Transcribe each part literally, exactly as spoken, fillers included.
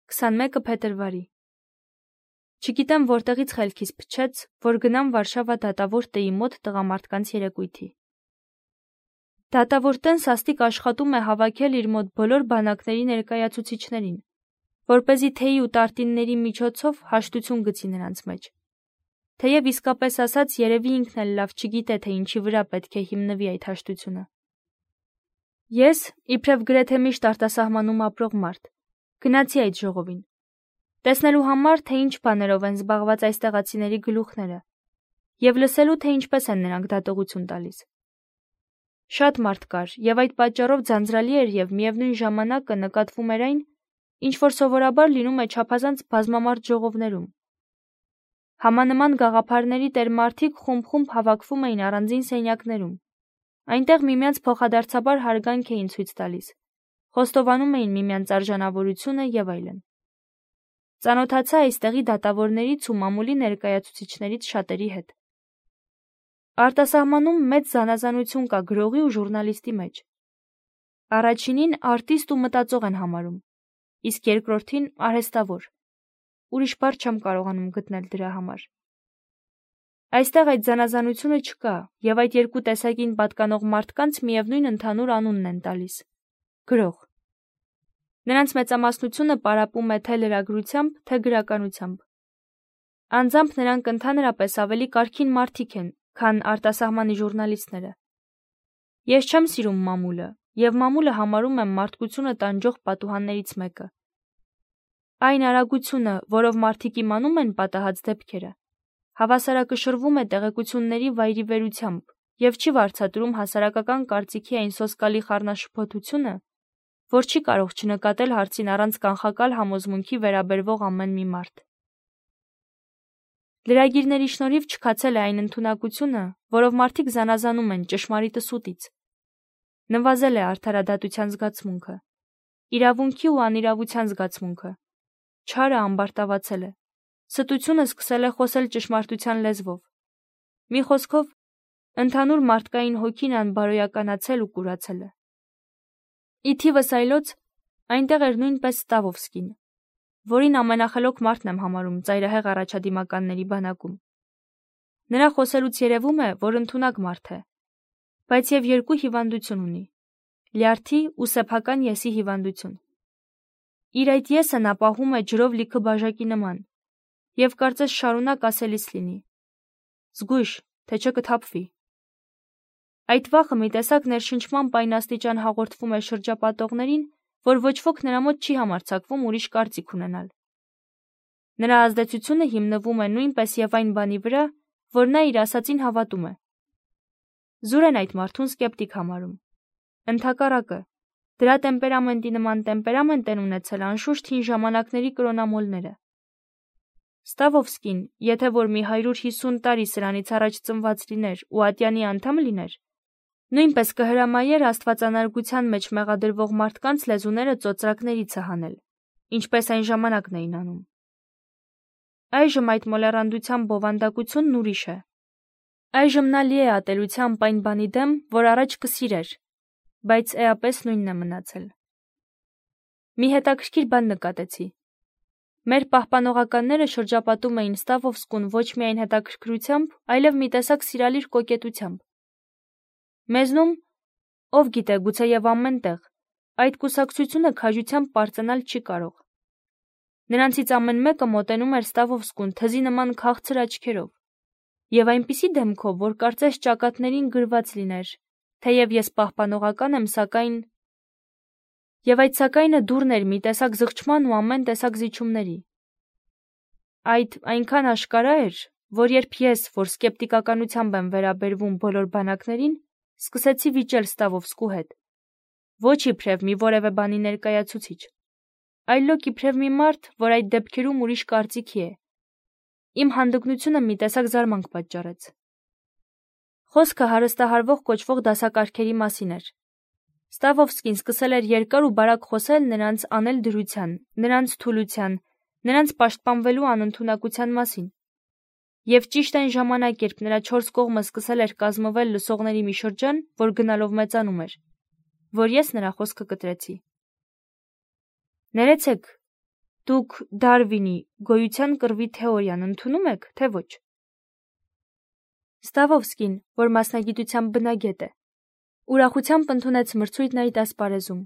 քսանմեկը փետրվարի։ Չգիտեմ որտեղից խելքիս փչեց, որ գնամ Վարշավա դատավոր տեի մոտ տղամարդկանց երեկույթի։ Դատավոր տեն սաստիկ աշխատում է հավաքել իր մոտ բոլոր բանակների ներկայացուցիչներին, որպեսզի թեյի ու տարտինների միջոցով հաշտություն գցի նրանց մեջ։ Թեև իսկապես ասած երևի ինքն էլ լավ չգիտե, թե ինչի վրա պետք է հիմնվի այդ հաշտությունը։ Ես, իբրև գրեթե միշտ արտասահմանում ապրող մարդ, գնացի այդ ժողովին, տեսնելու համար, թե ինչ բաներով են զբաղված այս տեղացիների գլուխները, և լսելու, թե ինչպես են նրանք դատողություն տալիս։ Շատ մարդ կար, և այդ պատճառով ձանձրալի էր և միևնույն ժամանակը նկատվում էր այն, ինչ որ սովորաբար լինում է չափազանց բազմամարդ ժողովներում։ Համանման գաղափարների տեր մարդիկ խումբ-խումբ հավաքվում էին առանձին սենյակներում։ Այնտեղ միմյանց փոխադարձաբար հարգանք էին ցույց տալիս, խոստովանում էին միմյանց արժանավորությունը և այլն։ Ծանոթացա այստեղի դատավորներից ու մամուլի ներկայացուցիչներից շատերի հետ։ Արտասահմանում մեծ զանազանություն կա գրողի ու ժուրնալիստի մեջ։ Առաջինին արտիստ ու մտածող են համարում, իսկ երկրորդին արհեստավոր։ Ուրիշ բառ չեմ կարողանում գտնել դրա համար։ Այստեղ այդ զանազանությունը չկա, և այդ երկու տեսակին պատկանող մարդկանց միևնույն ընդհանուր անունն են տալիս՝ գրող։ Նրանց մեծամասնությունը պարապում է թե լրագրությամբ, թե գրականությամբ։ Անձամբ նրանք ընդհանրապես ավելի կարգին մարդիկ են, քան արտասահմանի ժուրնալիստները։ Ես չեմ սիրում մամուլը, և մամուլը համարում եմ մարդկությունը տանջող պատուհաններից մեկը։ Այն արագությունը, որով մարդիկ իմանում են պատահած դեպքերը, հավասարակշռվում է տեղեկությունների վայրիվերությամբ և չի վարձատրում հասարակական կարծիքի այն սոսկալի խառնաշփոթությունը, որ չի կարող չնկատել հարցին առանց կանխակալ համոզմունքի վերաբերվող ամեն մի մարդ։ Լրագիրների շնորհիվ չքացել է այն ընդունակությունը, որով մարդիկ զանազանում են ճշմարիտը սուտից։ Նվազել է արդարադատության զգացմունքը, իրավունքի ու անիրավության զգացմունքը, չարը ամբարտավացել է, ստությունը սկսել է խոսել ճշմարտության լեզվով։ Մի խոսքով, ընդհանուր մարդկային հոգին անբարոյականացել ու կուրացել է։ Ի թիվս այլոց, այնտեղ էր նույնպես Ստավովսկին, որին ամենախելոք մարդն եմ համարում ծայրահեղ առաջադիմականների բանակում։ Նրա խոսելուց երևում է, որ ընդունակ մարդ է, բայց և երկու հիվանդություն ունի՝ լյարդի ու սեփական եսի հիվանդություն։ Իր այդ եսը նա պահում է ջրով լիքը բաժակի նման, և կարծես շարունակ ասելիս լինի. զգույշ, թե չէ կթափվի։ Այդ վախը մի տեսակ ներշնչման պայնաստիճան հաղորդվում է շրջապատողներին, որ ոչ ոք նրա մոտ չի համարձակվում ուրիշ կարծիք ունենալ։ Նրա ազդեցությունը հիմնվում է նույնպես և այն բանի վրա, որ նա իր ասածին հավատում է։ Զուր են այդ մարդուն սկեպտիկ համարում։ Ընդհակառակը, դրա տեմպերամենտի նման տեմպերամենտ են ունեցել անշուշտ հին ժամանակների կրոնամոլները։ Ստավովսկին, եթե որ մի հարյուր հիսուն տարի սրանից առաջ ծնված լիներ ու ատյանի անդամ լիներ, նույնպես կհրամայեր աստվածանարգության մեջ մեղադրվող մարդկանց լեզուները ծոծրակներից հանել, ինչպես այն ժամանակն էին անում։ Այժմ այդ մոլեռանդության բովանդակությունն ուրիշ է։ Այժմ նա լի է ատելությամբ այն բանի դեմ, որ առաջ կսիրեր, բայց էապես նույնն է մնացել։ Մի հետաքրքիր բան նկատեցի։ Մեր պահպանողականները շրջապատում էին Ստավովսկուն ոչ միայն հետաքրքրությամբ, այլև մի տեսակ սիրալիր կոկետությամբ։ Մեզնում, ով գիտե, գուցեև ամեն տեղ, այդ կուսակցությունը քաջությամբ պարծենալ չի կարող։ Նրանցից ամեն մեկը մոտենում էր Ստավովսկուն թզի նման քաղցր աչքերով, և այնպիսի դեմքով, որ կարծես ճակատներին գրված լիներ, թեև ես պահպանողական եմ, սակայն… Եվ այդ սակայնը դուռն էր մի տեսակ զղջման ու ամեն տեսակ զիջումների։ Այդ այնքան աշկարա էր, որ երբ ես, որ սկեպտիկականությամբ եմ վերաբերվում բոլոր բանակներին, սկսեցի վիճել Ստավովսկու հետ, ոչ իբրև մի որևէ բանի ներկայացուցիչ, այլոք իբրև մի մարդ, որ այդ դեպքերում ուրիշ կարծիքի է, իմ հանդգնությունը մի տեսակ զարմանք պատճառեց։ Խոսքը հարստահարվող կոչվող դասակարգերի մասին էր։ Ստավովսկին սկսել էր երկար ու բարակ խոսել նրանց անել դրության, նրանց թուլության, նրանց պաշտպանվելու անընդունակության մասին։ Եվ ճիշտ այն ժամանակ, երբ նրա չորս կողմը սկսել էր կազմվել լսողների մի շրջան, որ գնալով մեծանում էր, որ ես նրա խոսքը կտրեցի։ Ներեցեք, Դուք Դարվինի գոյության կռվի թեորիան ընդունում եք, թե ոչ։ Ստավովսկին, որ մասնագիտությամբ բնագետ է, ուրախությամբ ընդունեց մրցույթն այդ ասպարեզում։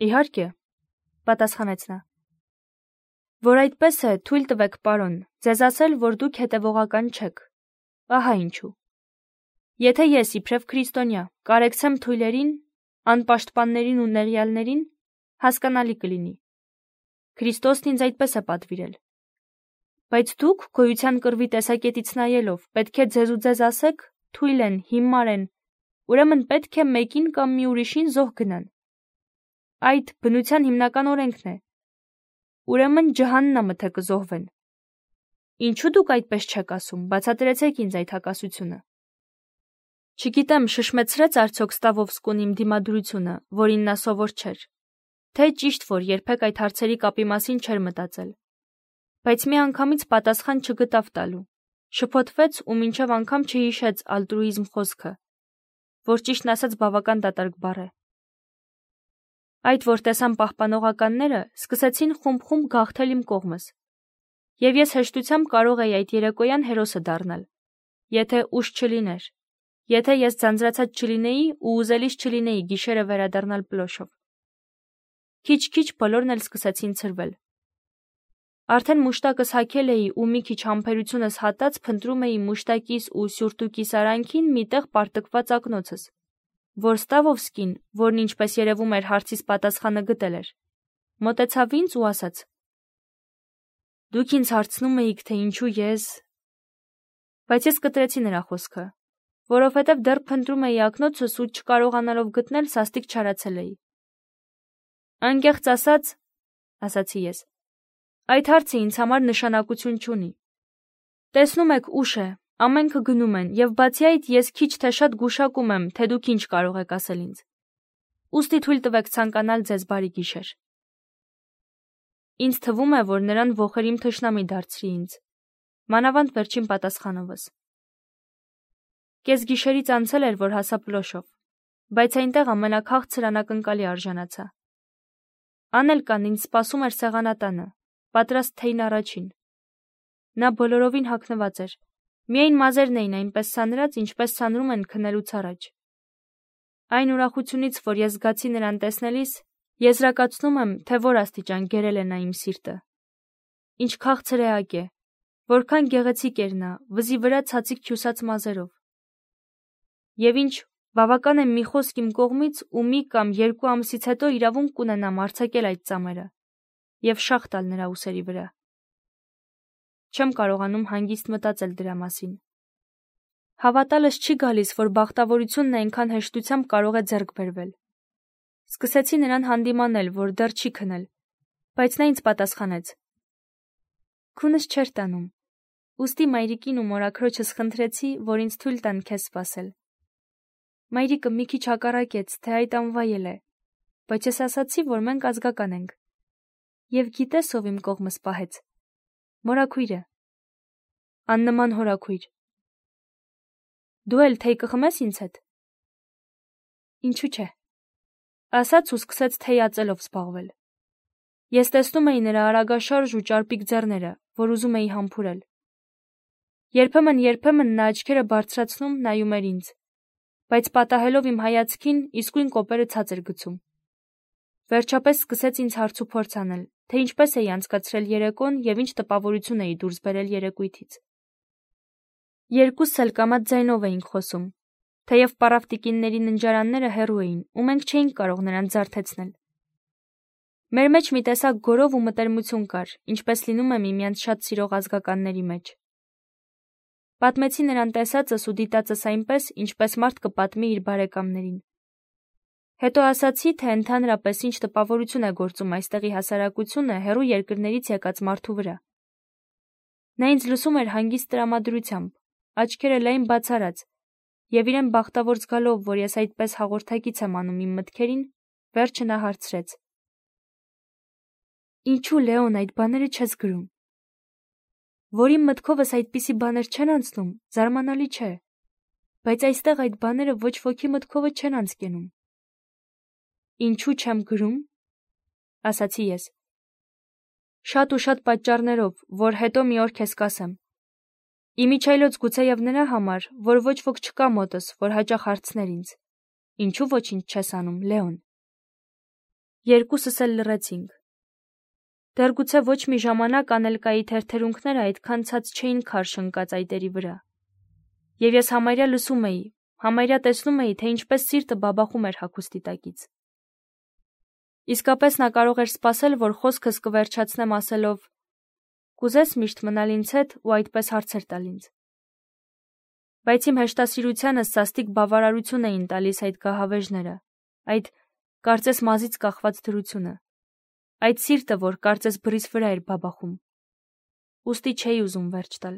Իհարկե, պատասխանեց նա։ Որ այդպես է, թույլ տվեք, պարոն, ձեզ ասել, որ դուք հետևողական չեք։ Ահա ինչու։ Եթե ես իբրև քրիստոնյա կարեկցեմ թույլերին, անպաշտպաններին ու նեղյալներին, հասկանալի կլինի։ Քրիստոսն ինձ այդպես է պատվիրել։ Բայց դուք գոյության կռվի տեսակետից նայելով պետք է ձեզ ու ձեզ ասեք, թույլ են, հիմար են, ուրեմն պետք է մեկին կամ մի ուրիշին զոհ գնան։ Այդ բնության հիմնական օրենքն է։ Ուրեմն ջհաննամը թե կզոհվեն։ Ինչու դուք այդպես չեք ասում, բացատրեցեք ինձ այդ հակասությունը։ Չգիտեմ, շշմեցրեց արդյոք Ստավովսկուն իմ դիմադրությունը, որին նա սովոր չէր, թե ճիշտ որ երբեք այդ հարցերի կապի մասին չէր մտածել։ Բայց մի անգամից պատասխան չգտավ տալու, շփոթվեց ու մինչև անգամ չհիշեց ալտրուիզմ խոսքը, որ ճիշտն ասած բավական դատարկ բառ է։ Այդ որ տեսան պահպանողականները, սկսեցին խումբ-խումբ գաղթել իմ կողմս, և ես հեշտությամբ կարող էի այդ երեկոյան հերոսը դառնալ, եթե ուժ չլիներ, եթե ես ձանձրացած չլինեի ու ուզելիս չլինեի գիշերը վերադառնալ պլոշով։ Քիչ-քիչ բոլորն էլ սկսեցին ցրվել։ Արդեն մուշտակս հագել էի ու մի քիչ համբերությունս հատած փնտրում էի մուշտակիս ու սյուրտուկիս արանքին մի տեղ պարտկված ակնոցս, որ Ստավովսկին, որն ինչպես երևում էր հարցիս պատասխանը գտել էր, մոտեցավ ինձ ու ասաց. Դուք ինձ հարցնում էիք, թե ինչու ես… Բայց ես կտրեցի նրա խոսքը, որովհետև դեռ փնտրում էի ակնոցս ու չկարողանալով գտնել սաստիկ չարացել էի։ Անկեղծ ասած, ասացի ես, այդ հարցը ինձ համար նշանակություն չունի։ Տեսնում եք, ուշ է, ամենքը գնում են, և բացի այդ ես քիչ թե շատ գուշակում եմ, թե դուք ինչ կարող եք ասել ինձ։ Ուստի թույլ տվեք ցանկանալ ձեզ բարի գիշեր։ Ինձ թվում է, որ նրան ոխերիմ թշնամի դարձրի ինձ, մանավանդ վերջին պատասխանովս։ Կես գիշերից անցել էր, որ հասա պլոշով, բայց այնտեղ ամենաքաղցր անակնկալի արժանացա։ Անելկան ինձ սպասում էր սեղանատանը, պատրաստ թեյն առաջին։ Նա բոլորովին հագնված էր, միայն մազերն էին այնպես սանրած, ինչպես սանրում են քնելուց առաջ։ Այն ուրախությունից, որ ես զգացի նրան տեսնելիս, եզրակացնում եմ, թե որ աստիճան գերել է նա իմ սիրտը։ Ինչ քաղցր էակ է, որքան գեղեցիկ էր նա, վզի վրա ցածիկ քյուսած մազերով։ Եվ ինչ բավական է մի խոսք իմ կողմից ու մի կամ երկու ամսից հետո իրավունք կունենամ արձակել այդ ծամերը և շաղ տալ նրա ուսերի վրա։ Չեմ կարողանում հանգիստ մտածել դրա մասին։ Հավատալս չի գալիս, որ բախտավորությունն այնքան հեշտությամբ կարող է ձեռք բերվել։ Սկսեցի նրան հանդիմանել, որ դեռ չի քնել, բայց նա ինձ պատասխանեց. Քունս չէր տանում, ուստի մայրիկին ու մորաքրոջս խնդրեցի, որ ինձ թույլ տան քեզ սպասել։ Մայրիկը մի քիչ հակառակեց, թե այդ անվայել է, բայց ես ասացի, որ մենք ազգական ենք։ Եվ գիտես ով իմ կողմս պահեց։ Մորաքույրը։ Աննման հորաքույր։ Դու էլ թեյ կխմես ինձ հետ։ Ինչու՞ չէ։ Ասաց ու սկսեց թեյ ածելով զբաղվել։ Ես տեսնում էի նրա արագաշարժ ու ճարպիկ ձեռները, որ ուզում էի համբուրել։ Երբեմն-երբեմն նա աչքերը բարձրացնում նայում էր ինձ, բայց պատահելով իմ հայացքին, իսկույն կոպերը ցած էր գցում։ Վերջապես սկսեց ինձ հարց ու փորձ անել, թե ինչպես էի անցկացրել երեկոն և ինչ տպավորություն էի դուրս բերել երեկույթից։ Երկուսս էլ կամաց ձայնով էինք խոսում, թեև պառավտիկինների ննջարանները հեռու էին, ու մենք չէինք կարող նրանց զարթեցնել։ Մեր մեջ մի տեսակ գորով ու մտերմություն կար, ինչպես լինում է միմյանց շատ սիրող ազգականների մեջ։ Պատմեցի նրան տեսածս ու դիտածս այնպես, ինչպես մարդ կպատմի իր բարեկամներին։ Հետո ասացի, թե ընդհանրապես ինչ տպավորություն է գործում այստեղի հասարակությունը հեռու երկրներից եկած մարդու վրա։ Նա ինձ լսում էր հանգիստ տրամադրությամբ, աչքերը լայն բացարած, և իրեն բախտավոր զգալով, որ ես այդպես հաղորդակից եմ անում իմ մտքերին, վերջը նա հարցրեց. Ինչու, Լեոն, այդ բաները չես գրում։ Որ իմ մտքովս այդպիսի բաներ չեն անցնում, զարմանալի չէ, բայց այստեղ այդ բաները ոչ ոքի մտքովը չեն անցկենում։ Ինչու չեմ գրում, ասացի ես։ Շատ ու շատ պատճառներով, որ հետո մի օր քեզ կասեմ։ Իմիջայլոց գուցեև նրա համար, որ ոչ ոք չկա մոտս, որ հաճախ հարցներ ինձ. ինչու ոչինչ չես անում, Լեոն։ Երկուսս էլ լռեցինք։ Դեռ գուցե ոչ մի ժամանակ Անելկայի թերթերունքները այդքան ցած չէին քարշ ընկած այտերի վրա։ Եվ ես համարյա լսում էի, համարյա տեսնում էի, թե ինչպես սիրտը բաբախում էր հագուստի տակից։ Իսկապես նա կարող էր սպասել, որ խոսքս կվերջացնեմ ասելով. «Կուզես միշտ մնալ ինձ հետ ու այդպես հարցեր տալ ինձ»։ Բայց իմ հեշտասիրությանը սաստիկ բավարարություն էին տալիս այդ գահավեժները, այդ կարծես մազից կախված դրությունը, այդ սիրտը, որ կարծես բռիս վրա էր բաբախում։ Ուստի չէի ուզում վերջ տալ։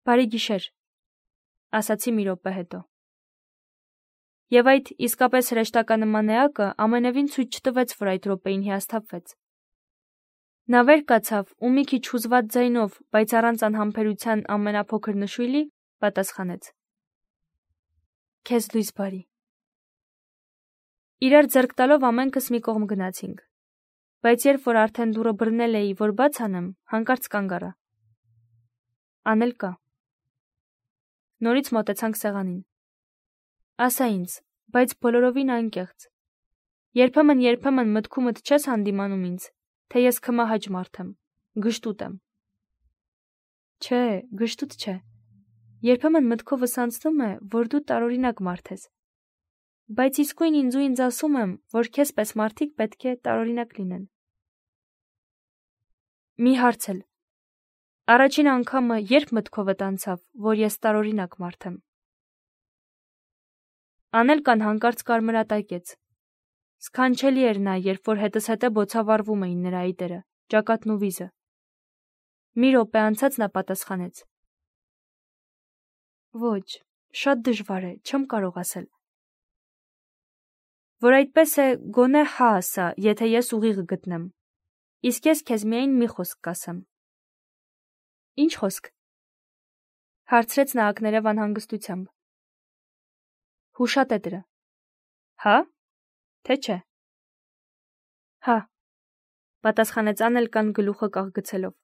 «Բարի գիշեր», ասացի մի րոպե հետո։ Եվ այդ իսկապես հրեշտականման էակը ամենևին ցույց չտվեց, որ այդ րոպեին հիասթափվեց։ Նա վեր կացավ ու մի քիչ հուզված ձայնով, բայց առանց անհամբերության ամենափոքր նշույլի, պատասխանեց. «Քեզ լույս բարի»։ Իրար ձեռք տալով ամենքս մի կողմ գնացինք, բայց երբ որ արդեն դուռը բռնել էի, որ բաց անեմ, հանկարծ կանգ առա։ Անելկա։ Նորից մոտեցանք սեղանին։ Ասա ինձ, բայց բոլորովին անկեղծ։ Երբեմն երբեմն մտքումդ չես հանդիմանում ինձ, թե ես քմահաճ մարդ եմ, գժտուտ եմ։ Չէ, գժտուտ չէ։ Երբեմն մտքովս անցնում է, որ դու տարօրինակ մարդ ես։ Բայց իսկույն ինձ ու ինձ ասում եմ, որ քեզ պես մարդիկ պետք է տարօրինակ լինեն։ Մի հարց էլ։ Առաջին անգամը երբ մտքովդ անցավ, որ ես տարօրինակ մարդ եմ։ Անելկան հանկարծ կարմրատակեց։ Սքանչելի էր նա, երբ որ հետս հետե բոցավառվում էին նրա այտերը, ճակատն ու վիզը։ Մի րոպե անցած նա պատասխանեց. Ոչ, շատ դժվար է, չեմ կարող ասել։ Որ այդպես է, գոնե հա ասա, եթե ես ուղիղ գտնեմ։ Իսկ ես քեզ միայն մի խոսք կասեմ։ Ինչ խոսք։ Հարցրեց նա ակներև անհանգստությամբ։ Հուշատետրը։ Հա՞, թե չէ։ Հա, պատասխանեց Անելկան գլուխը կաղգցելով։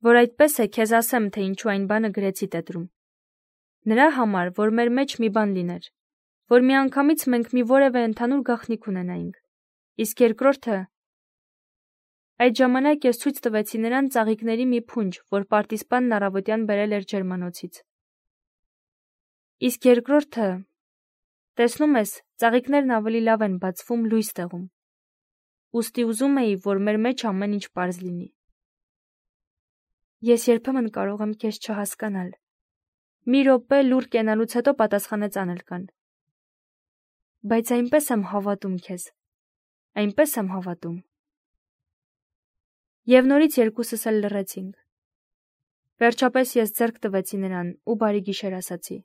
Որ այդպես է, քեզ ասեմ, թե ինչու այն բանը գրեցի տետրում։ Նրա համար, որ մեր մեջ մի բան լիներ, որ միանգամից մենք մի որևէ ընդհանուր գաղտնիք ունենայինք։ Իսկ երկրորդը, այդ ժամանակ ես ցույց տվեցի նրան ծաղիկների մի փունջ, որ պարտիզպանն առավոտյան բերել էր Ջերմանոցից։ Իսկ երկրորդը, տեսնում ես, ծաղիկներն ավելի լավ են բացվում լույս տեղում։ Ուստի ուզում էի, որ մեր մեջ ամեն ինչ պարզ լինի։ Ես երբեմն կարող եմ քեզ չհասկանալ։ Մի րոպե լուռ կենալուց հետո պատասխանեց Անելկան։ Բայց այնպես եմ հավատում քեզ։ Այնպես եմ հավատում։ Եվ նորից երկուսս էլ լռեցինք։ Վերջապես ես ձեռք տվեցի նրան ու բարի գիշեր ասացի։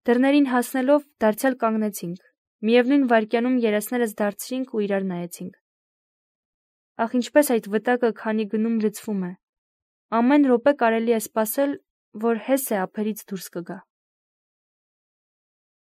Դռներին հասնելով դարձյալ կանգնեցինք։ Միևնույն վայրկյանում երեսներս դարձրինք ու իրար նայեցինք։ Ախ, ինչպես այդ վտակը քանի գնում լցվում է։ Ամեն րոպե կարելի է սպասել, որ հես է ափերից դուրս կգա։